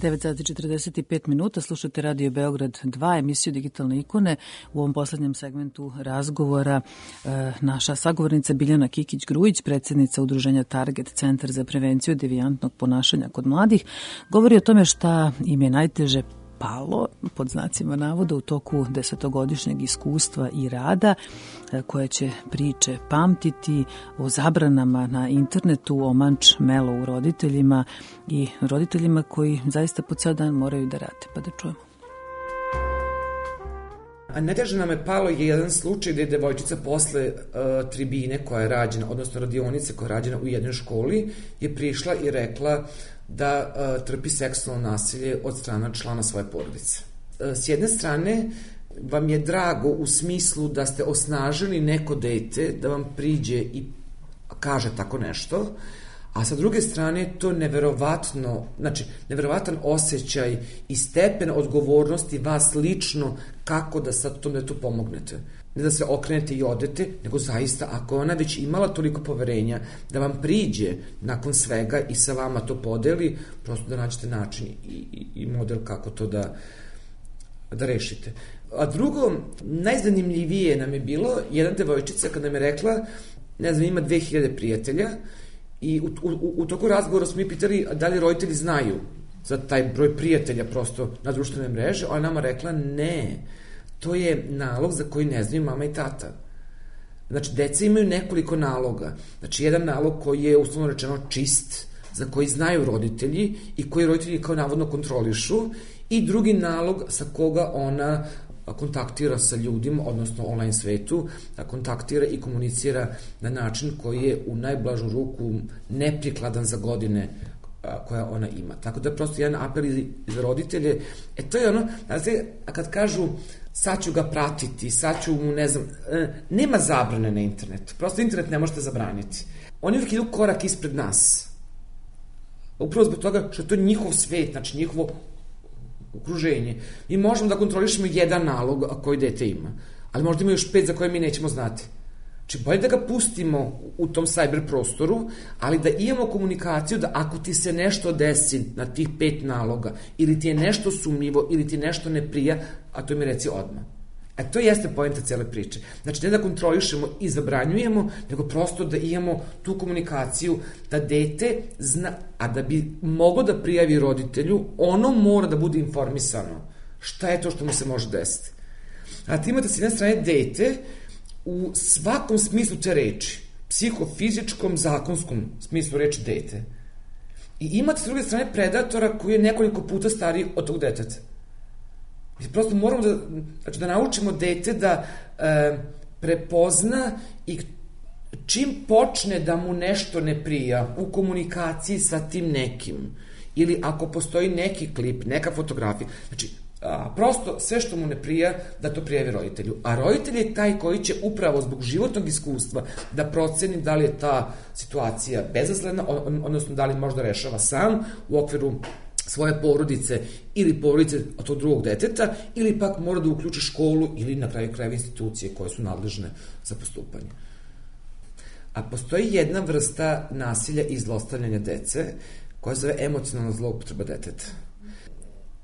devet sati četrdeset pet minuta, slušate Radio Beograd dva, emisiju Digitalne ikone. U ovom poslednjem segmentu razgovora e, naša sagovornica Biljana Kikić-Grujić, predsjednica udruženja Target, Centar za prevenciju devijantnog ponašanja kod mladih, govori o tome šta im je najteže palo, pod znacima navoda, u toku desetogodišnjeg iskustva i rada, koje će priče pamtiti o zabranama na internetu, o manč melo u roditeljima i roditeljima koji zaista po ceo dan moraju da rade. Pa da čujemo. A najteže nam je palo je jedan slučaj gde je devojčica posle uh, tribine koja je rađena, odnosno radionice koja je rađena u jednoj školi, je prišla i rekla da uh, trpi seksualno nasilje od strana člana svoje porodice. Uh, s jedne strane, vam je drago u smislu da ste osnažili neko dete da vam priđe i kaže tako nešto, a sa druge strane to neverovatno, znači neverovatan osjećaj i stepen odgovornosti vas lično kako da sad tom detetu pomognete. Ne da se okrenete i odete, nego zaista ako ona već imala toliko poverenja da vam priđe nakon svega i sa vama to podeli, prosto da nađete način i, i, i model kako to da, da rešite. A drugo, najzanimljivije nam je bilo jedna devojčica kada nam je rekla, ne znam, ima dve hiljade prijatelja i u, u, u toku razgovora smo mi pitali da li roditelji znaju za taj broj prijatelja prosto na društvene mreže, ona nama rekla ne, to je nalog za koji ne znaju mama i tata. Znači, deca imaju nekoliko naloga. Znači, jedan nalog koji je uslovno rečeno čist, za koji znaju roditelji i koji roditelji kao navodno kontrolišu, i drugi nalog sa koga ona kontaktira sa ljudima, odnosno online svetu, da kontaktira i komunicira na način koji je u najblažu ruku neprikladan za godine koja ona ima. Tako da prosto jedan apel za roditelje, e to je ono, znači, a kad kažu sad ću ga pratiti, sad ću mu, ne znam, nema zabrane na internetu, prosto internet ne možete zabraniti. Oni uvijek idu korak ispred nas. Upravo zbog toga što je to njihov svet, znači njihovo okruženje. Mi možemo da kontrolišemo jedan nalog koji dete ima, ali možda ima još pet za koje mi nećemo znati. Znači, bolje da ga pustimo u tom cyber prostoru, ali da imamo komunikaciju da ako ti se nešto desi na tih pet naloga, ili ti je nešto sumnjivo, ili ti nešto ne prija, a to mi reci odmah. E, to jeste poenta cele priče. Znači, ne da kontrolišemo i zabranjujemo, nego prosto da imamo tu komunikaciju, da dete zna, a da bi moglo da prijavi roditelju, ono mora da bude informisano šta je to što mu se može desiti. A ti imate s jedne strane dete u svakom smislu te reči, psihofizičkom, zakonskom smislu reči dete. I imate s druge strane predatora koji je nekoliko puta stariji od tog deteta. Mi prosto moramo da, znači, da naučimo dete da e, prepozna i čim počne da mu nešto ne prija u komunikaciji sa tim nekim, ili ako postoji neki klip, neka fotografija, znači a, prosto sve što mu ne prija da to prijavi roditelju. A roditelj je taj koji će upravo zbog životnog iskustva da proceni da li je ta situacija bezazlena, odnosno da li možda rešava sam u okviru svoje porodice ili porodice od tog drugog deteta, ili pak mora da uključi školu ili na kraju krajeva institucije koje su nadležne za postupanje. A postoji jedna vrsta nasilja i zlostavljanja dece koja se zove emocionalna zloupotreba deteta.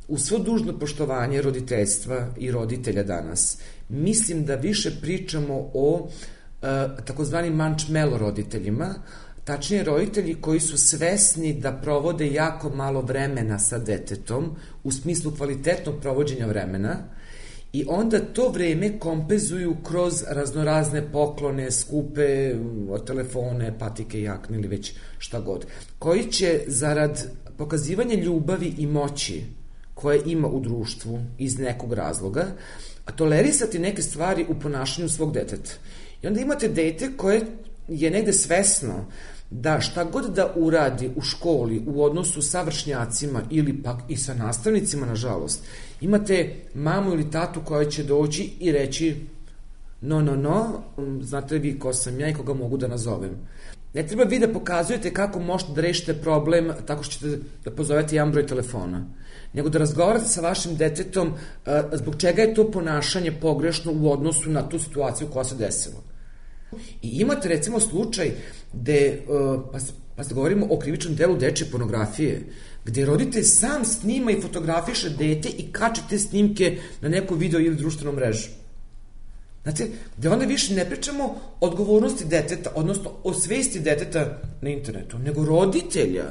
U svo dužno poštovanje roditeljstva i roditelja danas, mislim da više pričamo o e, takozvani mančmelo roditeljima, tačnije roditelji koji su svesni da provode jako malo vremena sa detetom, u smislu kvalitetnog provođenja vremena, i onda to vreme kompenzuju kroz raznorazne poklone, skupe telefone, patike, jakne ili već šta god, koji će zarad pokazivanja ljubavi i moći koje ima u društvu iz nekog razloga, a tolerisati neke stvari u ponašanju svog deteta. I onda imate dete koje je negde svesno da šta god da uradi u školi u odnosu sa vršnjacima ili pak i sa nastavnicima, nažalost, imate mamu ili tatu koja će doći i reći no, no, no, znate vi ko sam ja i koga mogu da nazovem. Ne treba vi da pokazujete kako možete da rešite problem tako što ćete da pozovete jedan broj telefona, nego da razgovarate sa vašim detetom uh, zbog čega je to ponašanje pogrešno u odnosu na tu situaciju koja se desila. I imate recimo slučaj gde, uh, pa Pa da govorimo o krivičnom delu dečje pornografije, gde roditelj sam snima i fotografiše dete i kače te snimke na neku video ili društvenu mrežu. Znate, gde onda više ne pričamo o odgovornosti deteta, odnosno o svesti deteta na internetu, nego roditelja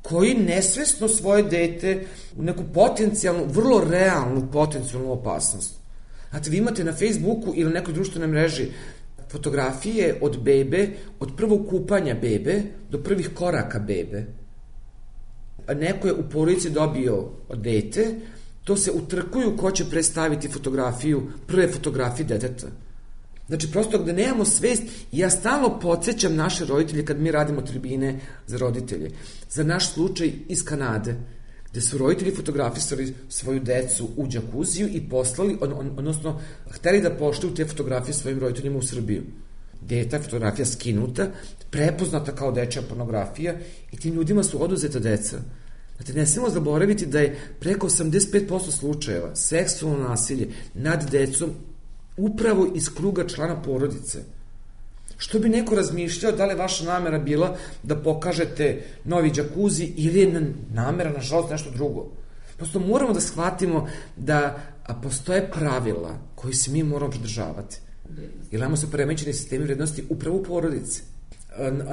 koji nesvesno svoje dete u neku potencijalnu, vrlo realnu potencijalnu opasnost. Znate, vi imate na Facebooku ili nekoj društvenoj mreži fotografije od bebe, od prvog kupanja bebe do prvih koraka bebe. Neko je u porodici dobio dete, to se utrkuju ko će predstaviti fotografiju, prve fotografije deteta. Znači, prosto gde nemamo svest, ja stalno podsjećam naše roditelje kad mi radimo tribine za roditelje. Za naš slučaj iz Kanade, gde su roditelji fotografisali svoju decu u džakuziju i poslali, on, on, odnosno, hteli da poštuju te fotografije svojim roditeljima u Srbiju. Gde je ta fotografija skinuta, prepoznata kao dečja pornografija i tim ljudima su oduzeta deca. Znate, ne smemo zaboraviti da je preko osamdeset pet posto slučajeva seksualno nasilje nad decom upravo iz kruga člana porodice. Što bi neko razmišljao da li je vaša namera bila da pokažete novi džakuzi ili je namera, nažalost, nešto drugo. Prosto moramo da shvatimo da postoje pravila koji se mi moramo pridržavati. Jer imamo se poremećeni sistemi vrednosti upravo u porodici.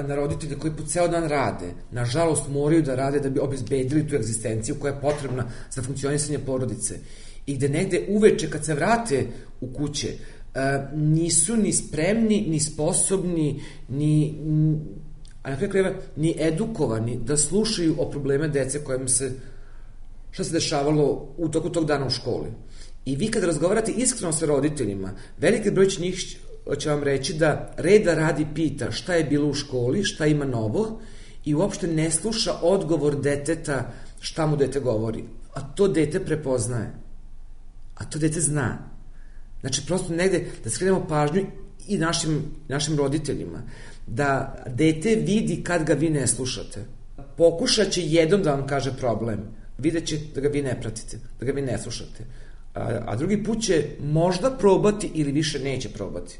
Na roditelji koji po ceo dan rade, nažalost moraju da rade da bi obezbedili tu egzistenciju koja je potrebna za funkcionisanje porodice. I gde negde uveče kad se vrate u kuće, nisu ni spremni, ni sposobni, ni, a na kraju krajeva, ni edukovani da slušaju o probleme dece kojima se, šta se dešavalo u toku tog dana u školi. I vi kad razgovarate iskreno sa roditeljima, veliki broj će njih će vam reći da reda radi pita šta je bilo u školi, šta ima novo i uopšte ne sluša odgovor deteta šta mu dete govori. A to dete prepoznaje. A to dete zna. Znači, prosto negde da skrenemo pažnju i našim, našim roditeljima, da dete vidi kad ga vi ne slušate. Pokušat će jednom da vam kaže problem. Vidjet će da ga vi ne pratite, da ga vi ne slušate. A, a drugi put će možda probati ili više neće probati.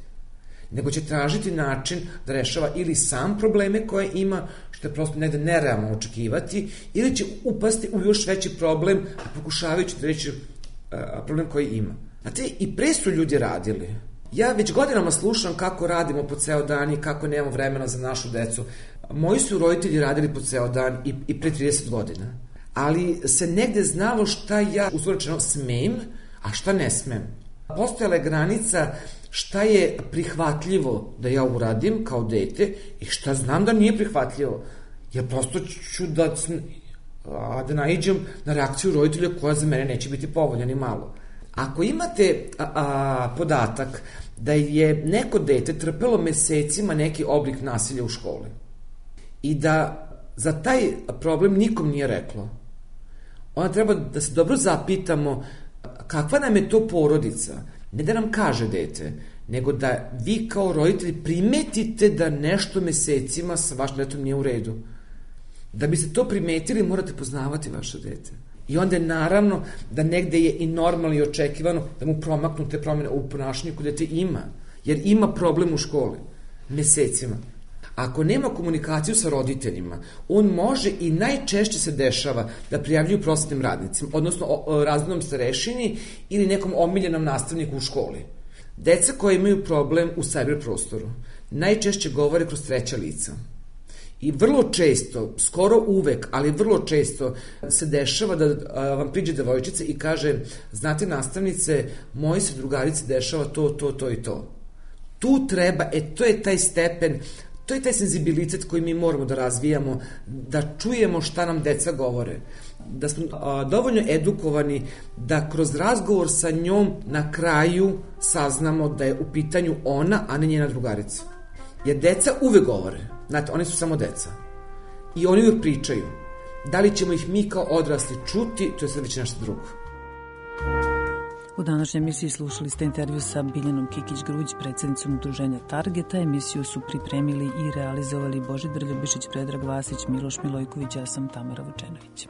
Nego će tražiti način da rešava ili sam probleme koje ima, što je prosto negde nerealno očekivati, ili će upasti u još veći problem, pokušavajući da reći problem koji ima. Znate, i pre su ljudi radili. Ja već godinama slušam kako radimo po ceo dan i kako nemamo vremena za našu decu. Moji su roditelji radili po ceo dan i, i pre trideset godina. Ali se negde znalo šta ja uzvorečeno smem, a šta ne smem. Postojala je granica šta je prihvatljivo da ja uradim kao dete i šta znam da nije prihvatljivo. Jer prosto ću da, da naiđem na reakciju roditelja koja za mene neće biti povoljna ni malo. Ako imate a, a, podatak da je neko dete trpelo mesecima neki oblik nasilja u školi i da za taj problem nikom nije reklo, onda treba da se dobro zapitamo kakva nam je to porodica. Ne da nam kaže dete, nego da vi kao roditelji primetite da nešto mesecima sa vašim detetom nije u redu. Da biste to primetili, morate poznavati vaše dete. I onda je naravno da negde je i normalno i očekivano da mu promaknu te promene u ponašanju koje dete ima. Jer ima problem u školi. Mesecima. Ako nema komunikaciju sa roditeljima, on može i najčešće se dešava da prijavljuju prosvetnim radnicima, odnosno razrednom starešini ili nekom omiljenom nastavniku u školi. Deca koja imaju problem u sajber prostoru najčešće govore kroz treća lica. I vrlo često, skoro uvek, ali vrlo često se dešava da vam priđe devojčica i kaže, znate nastavnice, moji se drugarici dešava to, to, to i to. Tu treba, e to je taj stepen, to je taj senzibilitet koji mi moramo da razvijamo, da čujemo šta nam deca govore. Da smo a, dovoljno edukovani da kroz razgovor sa njom na kraju saznamo da je u pitanju ona, a ne njena drugarica. Jer deca uvek govore. Znate, oni su samo deca. I oni uvek pričaju. Da li ćemo ih mi kao odrasli čuti, to je sad već nešto drugo. U današnjoj emisiji slušali ste intervju sa Biljanom Kikić-Gruđ, predsednicom udruženja Targeta. Emisiju su pripremili i realizovali Božidar Ljubišić, Predrag Vasić, Miloš Milojković, ja sam Tamara Vučenović.